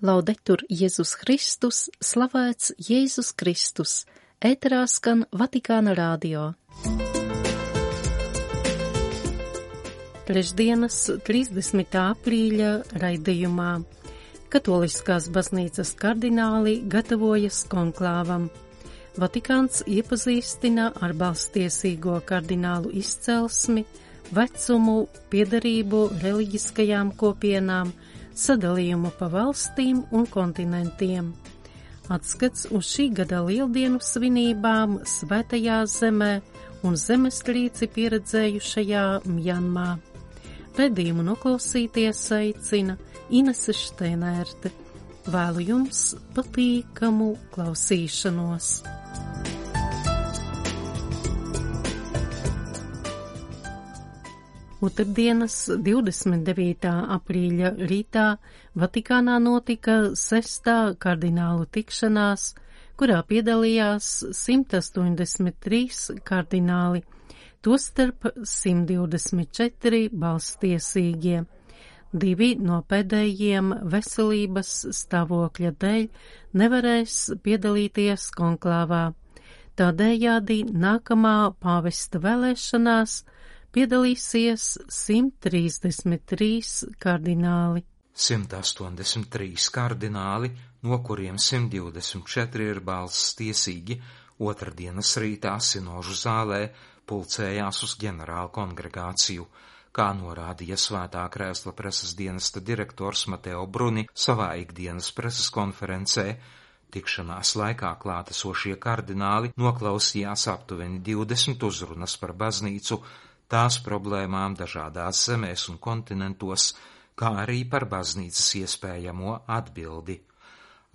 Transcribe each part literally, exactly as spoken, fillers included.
Laudetur Jēzus Kristus, slavēts Jēzus Kristus, ēterā skan Vatikāna radio. Trešdienas trīsdesmitā aprīļa raidījumā Katoliskās baznīcas kardināli gatavojas konklāvam. Vatikāns iepazīstina ar balstiesīgo kardinālu izcelsmi, vecumu, piederību reliģiskajām kopienām, sadalījumu pa valstīm un kontinentiem. Atskats uz šī gada lieldienu svinībām Svētajā zemē un zemestrīci pieredzējušajā Mjanmā. Redījumu noklausīties aicina Inese Šteinērte. Vēlu jums patīkamu klausīšanos. Otrdienas divdesmit devītā aprīļa rītā Vatikānā notika sestā kardinālu tikšanās, kurā piedalījās simt astoņdesmit trīs kardināli, tostarp simt divdesmit četri balstiesīgie. Divi no pēdējiem veselības stāvokļa dēļ nevarēs piedalīties konklāvā. Tādējādi nākamā pāvesta vēlēšanās piedalīsies simt trīsdesmit trīs kardināli. simt astoņdesmit trīs kardināli, no kuriem simt divdesmit četri ir balstiesīgi, otrdienas rītā sinožu zālē pulcējās uz ģenerālu kongregāciju, kā norādīja Svētā Krēsla preses dienesta direktors Mateo Bruni savā ikdienas preses konferencē. Tikšanās laikā klātesošie kardināli noklausījās aptuveni divdesmit uzrunas par baznīcu, tās problēmām dažādās zemēs un kontinentos, kā arī par baznīcas iespējamo atbildi.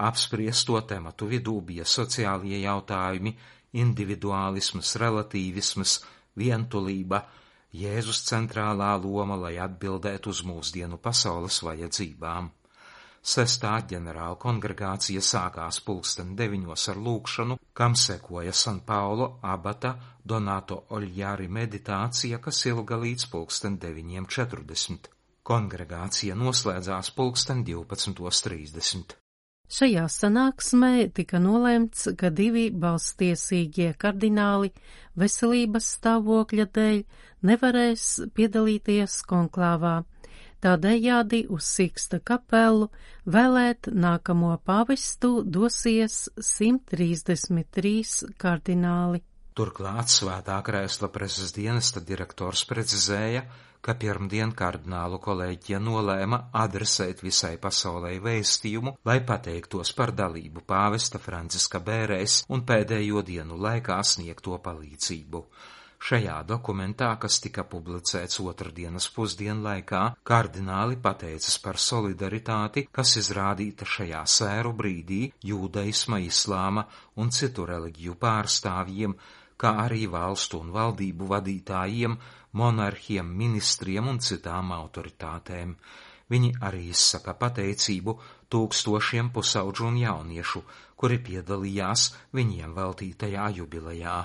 Apspriesto tematu vidū bija sociālie jautājumi, individuālisms, relatīvisms, vientulība, Jēzus centrālā loma, lai atbildētu uz mūsdienu pasaules vajadzībām. Sestā ģenerāla kongregācija sākās pulksten deviņos ar lūgšanu, kam sekoja San Paulo abata Donato Oljāri meditācija, kas ilga līdz pulksten deviņiem četrdesmit. Kongregācija noslēdzās pulksten divpadsmitos trīsdesmit. Šajā sanāksmē tika nolēmts, ka divi balstiesīgie kardināli veselības stāvokļa dēļ nevarēs piedalīties konklāvā. Tādējādi uz Siksta kapelu vēlēt nākamo pāvestu dosies simt trīsdesmit trīs kardināli. Turklāt Svētā Krēsla preses dienesta direktors precizēja, ka pirmdien kardinālu kolēģija nolēma adresēt visai pasaulei vēstījumu, lai pateiktos par dalību pāvesta Franciska bērēs un pēdējo dienu laikā sniegto palīdzību. Šajā dokumentā, kas tika publicēts otrdienas pusdienlaikā, kardināli pateicas par solidaritāti, kas izrādīta šajā sēru brīdī jūdaisma, islāma un citu reliģiju pārstāvjiem, kā arī valstu un valdību vadītājiem, monarhiem, ministriem un citām autoritātēm. Viņi arī izsaka pateicību tūkstošiem pusauģu un jauniešu, kuri piedalījās viņiem veltītajā jubilejā.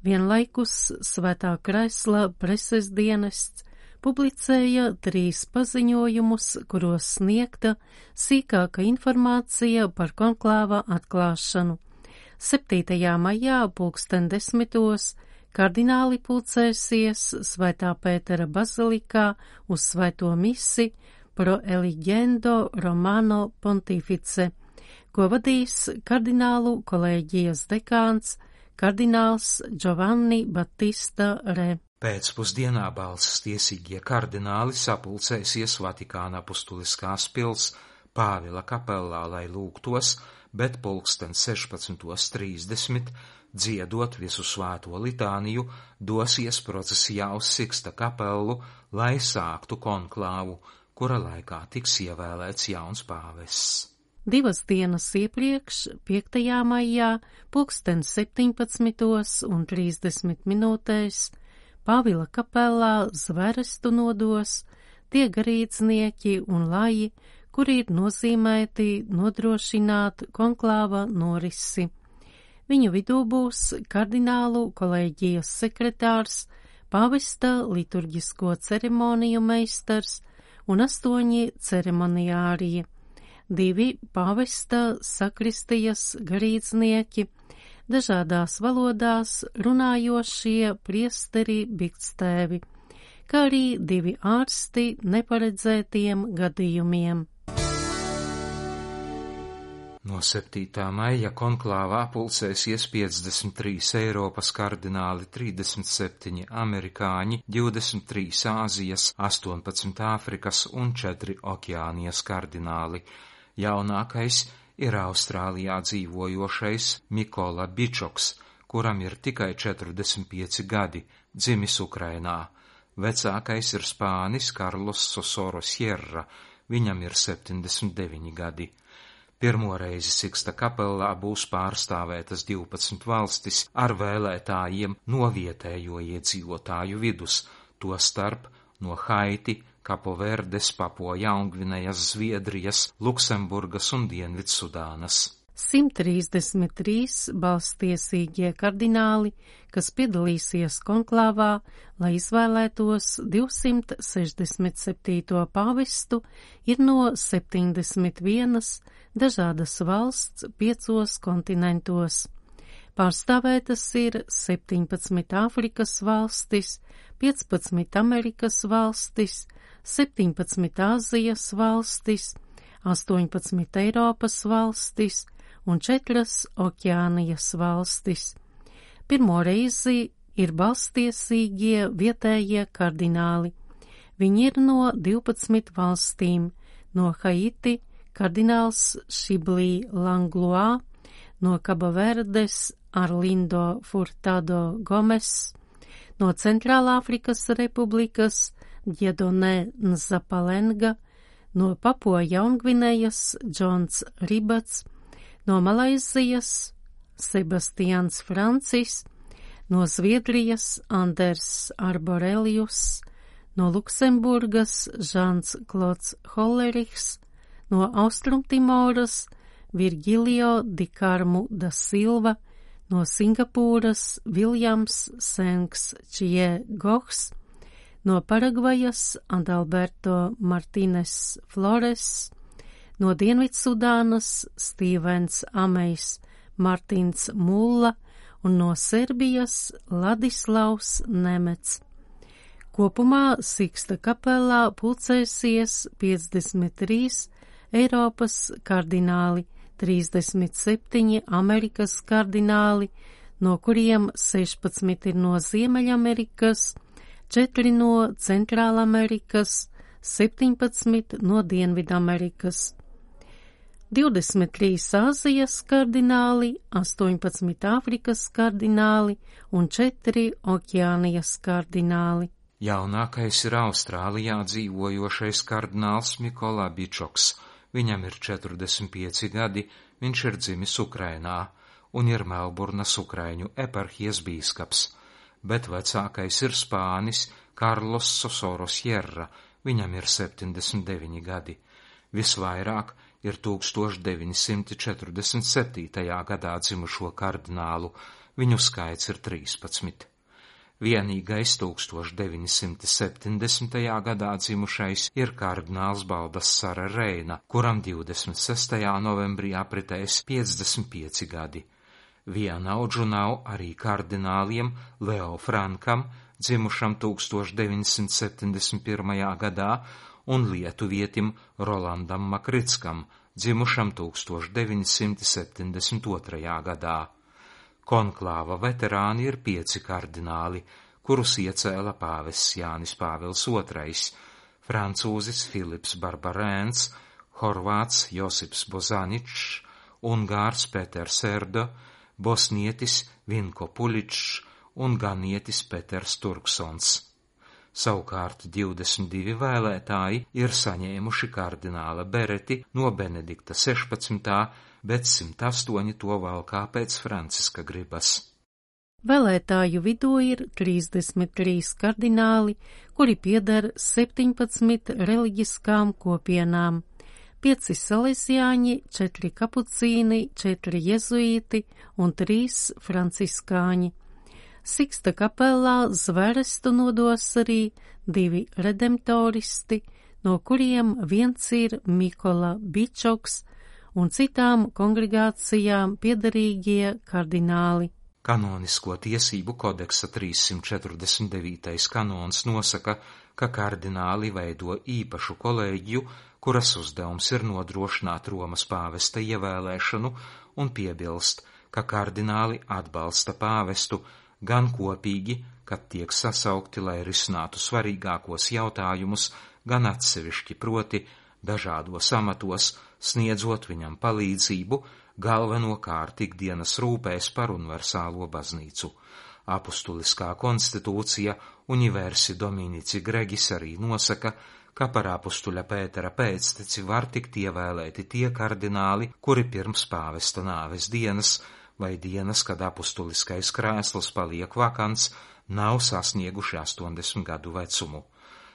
Vienlaikus Svētā Krēsla preses dienests publicēja trīs paziņojumus, kuros sniegta sīkāka informācija par konklāva atklāšanu. septītajā maijā pulksten desmitos kardināli pulcēsies Svētā Pētera bazilikā uz Svēto misi pro Eligendo Romano Pontifice, ko vadīs kardinālu kolēģijas dekāns kardināls Giovanni Battista Re. Pēcpusdienā balstiesīgie kardināli sapulcēsies Vatikāna apustuliskās pils Pāvila kapellā, lai lūgtos, bet pulksten sešpadsmitos trīsdesmit, dziedot visu svēto litāniju, dosies procesijā uz Siksta kapelu, lai sāktu konklāvu, kura laikā tiks ievēlēts jauns pāvests. Divas dienas iepriekš, piektajā maijā, pulksten septiņpadsmitos un trīsdesmit minūtēs, Pāvila kapelā zverestu nodos tie garīdznieki un laji, kuri ir nozīmēti nodrošināt konklāva norisi. Viņu vidū būs kardinālu kolēģijas sekretārs, pāvesta liturģisko ceremoniju meistars un astoņi ceremoniāriji. divi pāvesta sakristijas garīdznieki, dažādās valodās runājošie priesteri bikstēvi, kā arī divi ārsti neparedzētiem gadījumiem. No septītā maija konklāvā pulcēsies piecdesmit trīs Eiropas kardināli, trīsdesmit septiņi amerikāņi, divdesmit trīs Āzijas, astoņpadsmit Āfrikas un četri Okeānijas kardināli. Jaunākais ir Austrālijā dzīvojošais Mikola Bičoks, kuram ir tikai četrdesmit pieci gadi, dzimis Ukrainā. Vecākais ir Spānis Karlos Sosoro Sierra, viņam ir septiņdesmit deviņi gadi. Pirmo reizi Siksta kapellā būs pārstāvētas divpadsmit valstis ar vēlētājiem no vietējo iedzīvotāju vidus, to starp no Haiti, Kapoverdes, Papua Jaungvinejas, Zviedrijas, Luksemburgas un Dienvidsudānas. simt trīsdesmit trīs balstiesīgie kardināli, kas piedalīsies konklāvā, lai izvēlētos divsimt sešdesmit septīto pāvestu, ir no septiņdesmit vienas dažādas valsts piecos kontinentos. Pārstāvētas ir septiņpadsmit Āfrikas valstis, piecpadsmit Amerikas valstis, septiņpadsmit Āzijas valstis, astoņpadsmit Eiropas valstis un četras Okeānijas valstis. Pirmo reizi ir balstiesīgie vietējie kardināli. Viņi ir no divpadsmit valstīm, no Haiti kardināls Šiblī Langlois, no Kabaverdes Arlindo Furtado Gomes, no Centrālāfrikas Republikas Djedone Nzapalenga, no Papua Jaungvinejas Džons Ribats, no Malaizijas Sebastians Francis, no Zviedrijas Anders Arborelius, no Luksemburgas Žans Klods Hollerichs, no Austrumtimoras Virgilio Di Carmu da Silva, no Singapūras Viljams Sengs Čie Gohs, no Paragvajas Adalberto Martínez Flores, no Dienvidsudānas Stīvens Amejs Martins Mulla un no Serbijas Ladislavs Nemets. Kopumā Siksta kapelā pulcēsies piecdesmit trīs Eiropas kardināli, trīsdesmit septiņi Amerikas kardināli, no kuriem sešpadsmit ir no Ziemeļamerikas, četri no Centrālamerikas, septiņpadsmit no Dienvidamerikas, divdesmit trīs Āzijas kardināli, astoņpadsmit Āfrikas kardināli un četri Okeānijas kardināli. Jaunākais ir Austrālijā dzīvojošais kardināls Mikola Bičoks. Viņam ir četrdesmit pieci gadi, viņš ir dzimis Ukrainā un ir Melburnas Ukraiņu eparhijas bīskaps, bet vecākais ir Spānis Karlos Sosoro Sierra, viņam ir septiņdesmit deviņi gadi. Visvairāk ir deviņi simti četrdesmit septītajā gadā dzimušo kardinālu, viņu skaits ir trīspadsmit. Vienīgais deviņi simti septiņdesmitajā gadā dzimušais ir kardināls Baldassare Reina, kuram divdesmit sestajā novembrī apritēs piecdesmit pieci gadi. Vienaudžu nav arī kardināliem Leo Frankam, dzimušam deviņi simti septiņdesmit pirmajā gadā, un lietuvietim Rolandam Makritskam, dzimušam deviņi simti septiņdesmit otrajā gadā. Konklāva veterāni ir pieci kardināli, kurus iecēla pāvests Jānis Pāvils otrais, francūzis Filips Barbarēns, horvāts Josips Bozaničs, ungārs Peters Erdo, bosnietis Vinko Puličs un ganietis Peters Turksons. Savukārt divdesmit divi vēlētāji ir saņēmuši kardināla bereti no Benedikta sešpadsmitā, bet simt astoņi to valkā pēc Franciska gribas. Vēlētāju vidū ir trīsdesmit trīs kardināli, kuri pieder septiņpadsmit reliģiskām kopienām, pieci salesiāņi, četri kapucīni, četri jezuīti un trīs franciskāņi. Siksta kapellā zverestu nodos arī divi redemptoristi, no kuriem viens ir Mikola Bičoks un citām kongregācijām piederīgie kardināli. Kanonisko tiesību kodeksa trīssimt četrdesmit devītais kanons nosaka, ka kardināli veido īpašu kolēģiju, kuras uzdevums ir nodrošināt Romas pāvesta ievēlēšanu, un piebilst, ka kardināli atbalsta pāvestu gan kopīgi, kad tiek sasaukti, lai risinātu svarīgākos jautājumus, gan atsevišķi, proti dažādos amatos, sniedzot viņam palīdzību, galvenokārt ikdienas rūpēs par universālo baznīcu. Apustuliskā konstitūcija Universi Dominici Gregis arī nosaka, ka par apustuļa Pētera pēcteci var tikt ievēlēti tie kardināli, kuri pirms pāvesta nāves dienas vai dienas, kad apustuliskais krēsls paliek vakants, nav sasnieguši astoņdesmit gadu vecumu.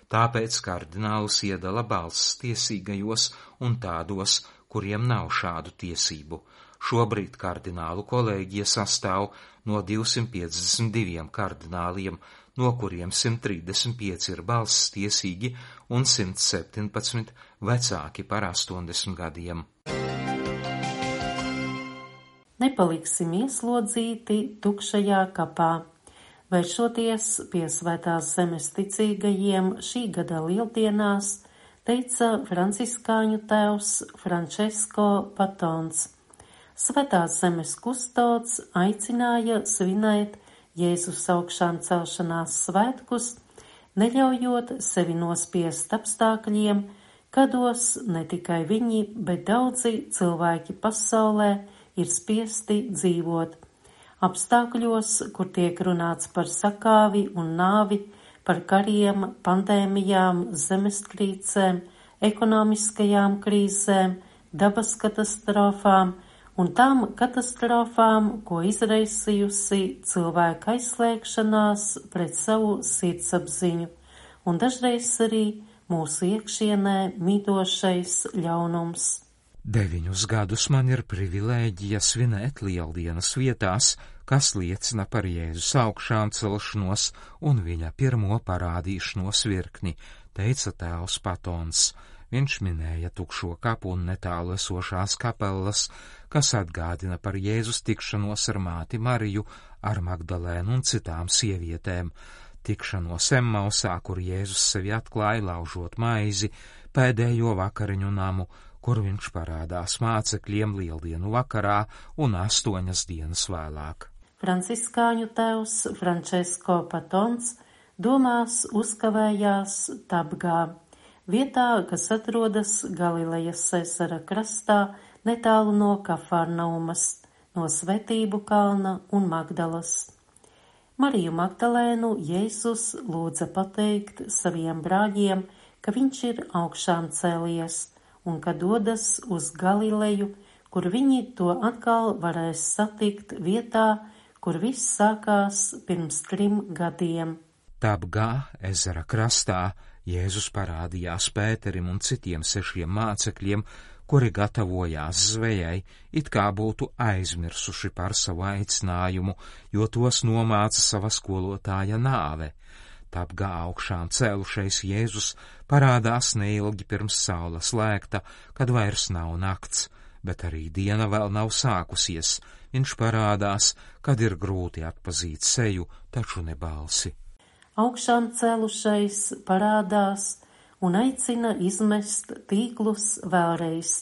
Tāpēc kardinālus iedala balss tiesīgajos un tādos, kuriem nav šādu tiesību. Šobrīd kardinālu kolēģija sastāv no divsimt piecdesmit diviem kardināliem, no kuriem simt trīsdesmit pieci ir balss tiesīgi un simt septiņpadsmit vecāki par astoņdesmit gadiem. Nepaliksim ieslodzīti tukšajā kapā. Vēršoties pie Svētās zemes ticīgajiem šī gada lieldienās, teica franciskāņu tēvs Francesco Patons. Svētās zemes kustods aicināja svinēt Jēzus augšām celšanās svētkus, neļaujot sevi nospiest apstākļiem, kādos ne tikai viņi, bet daudzi cilvēki pasaulē ir spiesti dzīvot. Apstākļos, kur tiek runāts par sakāvi un nāvi, par kariem, pandēmijām, zemestrīcēm, ekonomiskajām krīzēm, dabas katastrofām un tām katastrofām, ko izraisījusi cilvēka aizslēgšanās pret savu sirdsapziņu, un dažreiz arī mūsu iekšienē mītošais ļaunums. Deviņus gadus man ir privilēģija svinēt lieldienas vietās, kas liecina par Jēzus augšām celšanos un viņa pirmo parādīšanos virkni, teica tēvs Patons. Viņš minēja tukšo kapu un netālu esošās kapelas, kas atgādina par Jēzus tikšanos ar māti Mariju, ar Magdalēnu un citām sievietēm, tikšanos Emmausā, kur Jēzus sevi atklāja laužot maizi, pēdējo vakariņu namu, kur viņš parādās mācekļiem lieldienu vakarā un astoņas dienas vēlāk. Franciskāņu tēvs Francesco Patons domās uzkavējās Tabgā, vietā, kas atrodas Galilejas ezera krastā, netālu no Kafarnaumas, no Svētību kalna un Magdalas. Mariju Magdalēnu Jēzus lūdza pateikt saviem brāļiem, ka viņš ir augšām cēlies un ka dodas uz Galileju, kur viņi to atkal varēs satikt vietā, kur viss sākās pirms trim gadiem. Tabgā, ezera krastā, Jēzus parādījās Pēterim un citiem sešiem mācekļiem, kuri gatavojās zvejai, it kā būtu aizmirsuši par savu aicinājumu, jo tos nomāca sava skolotāja nāve. Tabgā augšām cēlušais Jēzus parādās neilgi pirms saule slēgta, kad vairs nav nakts, bet arī diena vēl nav sākusies. Viņš parādās, kad ir grūti atpazīt seju, taču ne balsi. Augšām cēlušais parādās un aicina izmest tīklus vēlreiz,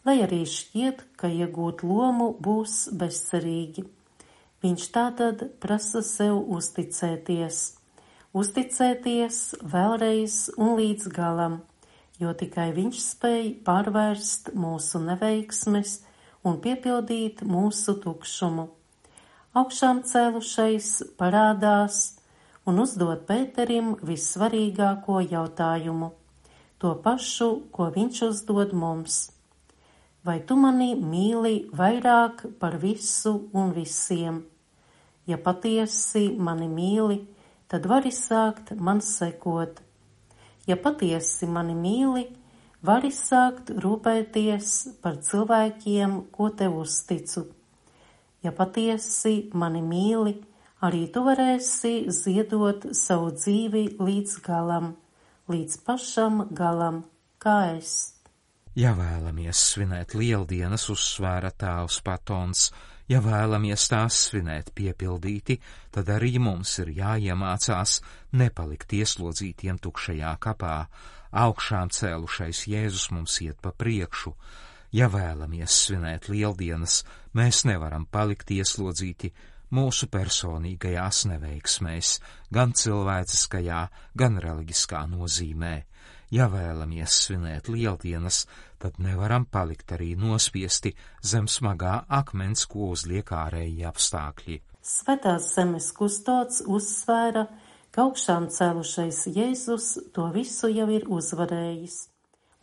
lai arī šķiet, ka iegūt lomu būs bezcerīgi. Viņš tātad prasa sev uzticēties. Uzticēties vēlreiz un līdz galam, jo tikai viņš spēj pārvērst mūsu neveiksmes un piepildīt mūsu tukšumu. Augšām cēlušais parādās un uzdod Pēterim vissvarīgāko jautājumu, to pašu, ko viņš uzdod mums. Vai tu mani mīli vairāk par visu un visiem? Ja patiesi mani mīli, tad vari sākt man sekot. Ja patiesi mani mīli, vari sākt rūpēties par cilvēkiem, ko tev uzticu. Ja patiesi mani mīli, arī tu varēsi ziedot savu dzīvi līdz galam, līdz pašam galam, kā es. Ja vēlamies svinēt lieldienas, uzsvēra tēvs Patons, ja vēlamies tās svinēt piepildīti, tad arī mums ir jāiemācās nepalikt ieslodzītiem tukšajā kapā. Augšām cēlušais Jēzus mums iet pa priekšu. Ja vēlamies svinēt lieldienas, mēs nevaram palikt ieslodzīti mūsu personīgajās neveiksmēs, gan cilvēciskajā, gan reliģiskā nozīmē. Ja vēlamies svinēt lieldienas, tad nevaram palikt arī nospiesti zem smagā akmens, ko uzliek ārēji apstākļi. Svētās zemes kustots uzsvēra, ka augšām cēlušais Jēzus to visu jau ir uzvarējis,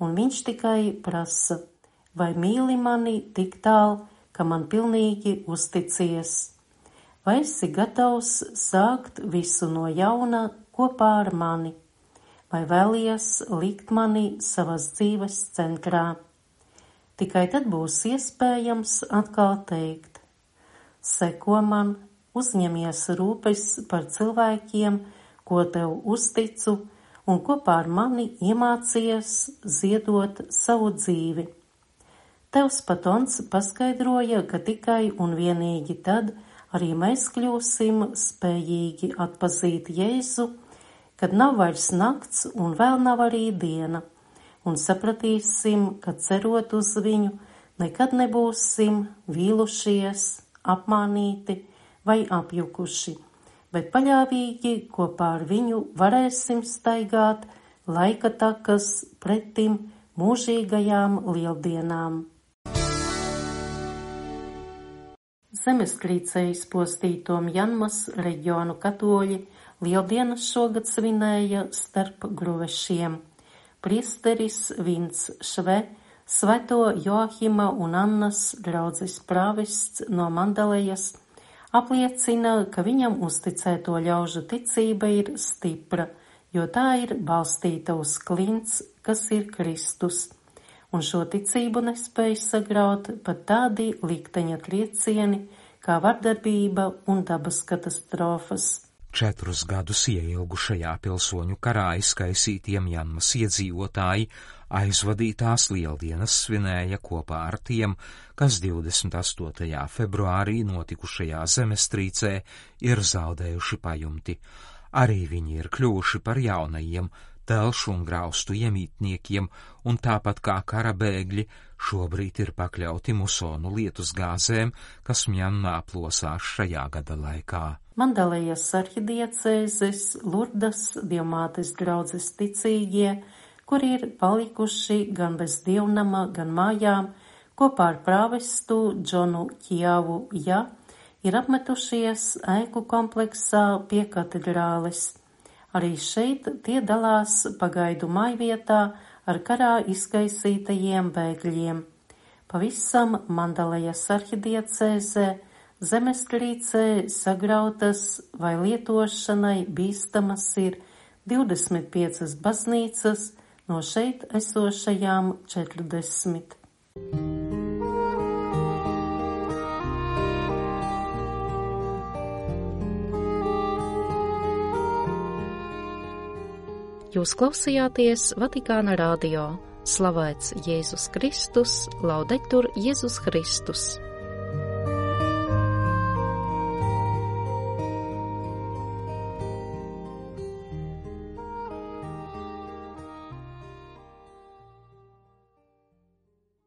un viņš tikai prasa, vai mīli mani tik tālu, ka man pilnīgi uzticies, vai esi gatavs sākt visu no jauna kopā ar mani, vai vēlies likt mani savas dzīves centrā. Tikai tad būs iespējams atkal teikt, seko man, uzņemies rūpes par cilvēkiem, ko tev uzticu, un kopā ar mani iemācies ziedot savu dzīvi. Tevs Patons paskaidroja, ka tikai un vienīgi tad arī mēs kļūsim spējīgi atpazīt Jēzu, kad nav vairs nakts un vēl nav arī diena, un sapratīsim, ka cerot uz viņu, nekad nebūsim vīlušies, apmānīti vai apjukuši, bet paļāvīgi kopā ar viņu varēsim staigāt laika takas pretim mūžīgajām lieldienām. Zemestrīcē izpostīto Mjanmas reģionu katoļi lieldienas šogad svinēja starp gruvešiem. Priesteris Vints Šve, Svēto Joahima un Annas draudzes prāvests no Mandalejas, apliecina, ka viņam uzticēto ļaužu ticība ir stipra, jo tā ir balstīta uz klints, kas ir Kristus, un šo ticību nespēj sagraut pat tādi likteņa triecieni, kā vardarbība un dabas katastrofas. Četrus gadus ieilgušajā pilsoņu karā izkaisītiem Mjanmas iedzīvotāji aizvadītās lieldienas svinēja kopā ar tiem, kas divdesmit astotajā februārī notikušajā zemestrīcē ir zaudējuši pajumti. Arī viņi ir kļuvuši par jaunajiem telšu un graustu iemītniekiem, un tāpat kā kara bēgļi šobrīd ir pakļauti musonu lietus gāzēm, kas Mjanmā plosās šajā gada laikā. Mandalejas arhidiecēzes Lurdas Dievmātes draudzes ticīgie, kuri ir palikuši gan bez dievnama, gan mājām, kopā ar prāvestu Džonu Kjavu Ja, ir apmetušies ēku kompleksā pie katedrāles. Arī šeit tie dalās pagaidu mājvietā ar karā izkaisītajiem bēgļiem. Pavisam Mandalejas arhidiecēzē zemestrīcē sagrautas vai lietošanai bīstamas ir divdesmit piecas baznīcas no šeit esošajām četrdesmit. Jūs klausījāties Vatikāna radio. Slavēts Jēzus Kristus, laudetur Jēzus Kristus.